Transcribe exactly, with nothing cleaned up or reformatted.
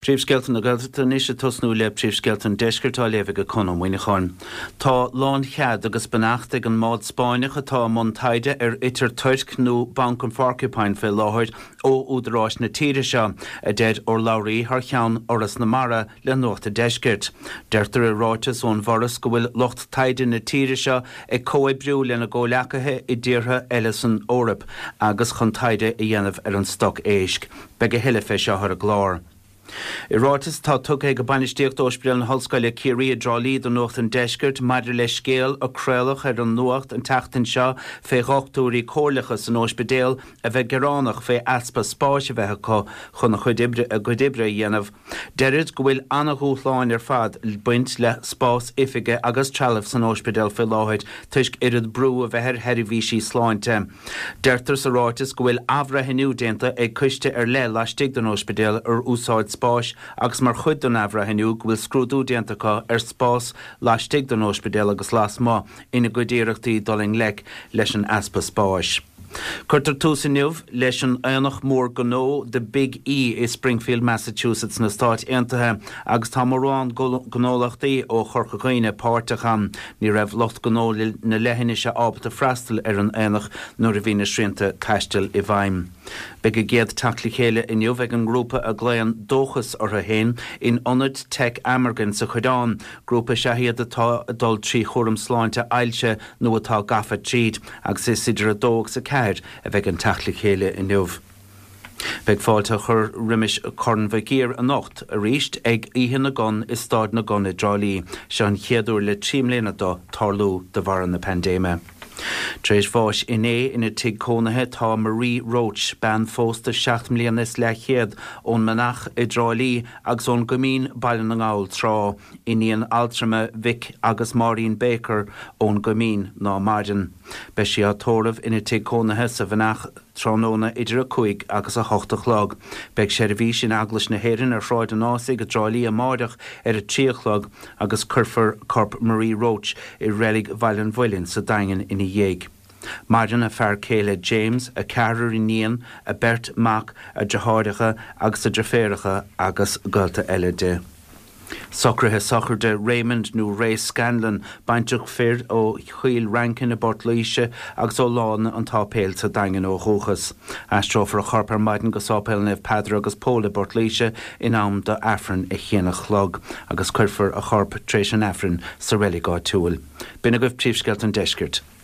Príomhscéalta na Gaeltachta anois ag tosnú le Príomhscéalta an Deiscirt á léamh ag Conn Ó Muíneacháin. Tá lánchead agus beannacht ag an mbád Spáinneach atá i mbun taighde ar ithir toirc nó Banc an Phorcupine fé láthair ó údaráis na tíre seo, a deir urlabhraí thar cheann Fhoras na Mara le Nuacht an Deiscirt. Deirtear i ráiteas ón bhForas go bhfuil lucht taighde na tíre seo ag comhoibriú lena gcomhleacaithe i dtíortha eile san Eoraip agus chun taighde a dhéanamh ar an stoc éisc. Beidh a thuilleadh fé seo ar an gclár. I ráiteas atá tugtha ag bainistíocht Ospidéal na hOllscoile Ciarraí i dTrá Lí do Nuacht an Deiscirt maidir le scéal a craoladh ar an Nuacht an tseachtain seo fé dhochtúirí comhairleacha san ospidéal a bheith gearánach fé easpa spáis a bheith acu chun a chuid oibre a gcuid oibre a dhéanamh. Deirid go bhfuil an-dhúshláin ar fad ag baint le spás oifige agus trealamh san ospidéal fé láthair toisc oiread brú a bheith ar sheirbhísí sláinte. Deirtear sa ráiteas go bhfuil athbhreithniú déanta ag coiste ar leith laistigh den ospidéal ar úsáid spáis agus mar chuid den athbhreithniú go bhfuil scrúdú déanta acu ar spás laistigh den ospidéal agus lasmuigh ina gcuid iarrachtaí dul i ngleic leis an easpa spáis. Cuirtear tús inniu leis an aonach mór gnó The Big E i Springfield, Massachusetts na Stáit Aontaithe agus tá mórán gnólachtaí ó Chorca Dhuibhne páirteach ann. Ní raibh lucht gnó na leithinise ábalta freastal ar an aonach nuair a bhí na srianta taistil i bhfeidhm. Beidh a gcéad teacht le chéile inniu ag an ngrúpa a ghlaonn Dóchas orthu féin in ionad Tech Amergin sa Choireán, grúpa is ea iad atá ag dul trí chúram sláinte ailse nó atá gafa tríd, agus is idir a dó agus a ceathair a bheidh an teacht le chéile inniu. Beidh fáilte á chur roimis Corn Mhic Uidhir anocht arís ag Oíche na gCon i Staid na gCon i dTrá Lí. Seo an chéad uair le trí mbliana dó tarlú de bharr na paindéime. Tar éis bháis inné ina tigh cónaithe tá Marie Roach, bean phósta seacht mbliana is leathchéad ón Menach i dTrá Lí agus ón gCoimín Baile na nGall tráth, iníon altrama Mhick agus Máirín Baker ón gCoimín ná maireann. Beidh sí á tórramh ina tigh cónaithe sa Mhenach tráthnóna idir a cúig agus a hocht a chlog. Beidh seirbhís in Eaglais na hÉireann ar Shráid an Ásaigh i dTrá Lí amárach ar a trí a chlog agus cuirfear corp Marie Roach i reilig Bhaile an Mhuilinn sa Daingean ina dhiaidh. Maireann a fear céile James, a ceathrar iníon, a beirt mac, a deartháireacha agus a deirféaracha agus gaolta eile di. Socruithe sochraide Raymond nó Ray Scanlon, baintreach fir ó Chill Rankin i bPort Laoise agus ó Lána an tSáipéil sa Daingean ó dhúchas. Aistreofar a chorp ar maidin go Sáipéal Naomh Peadar agus Pól i bPort Laoise in am do Aifreann a haon a chlog agus cuirfear a chorp tar éis an Aifrinn sa reilig áitiúil. B'in agaibh príomhscéalta an Deiscirt.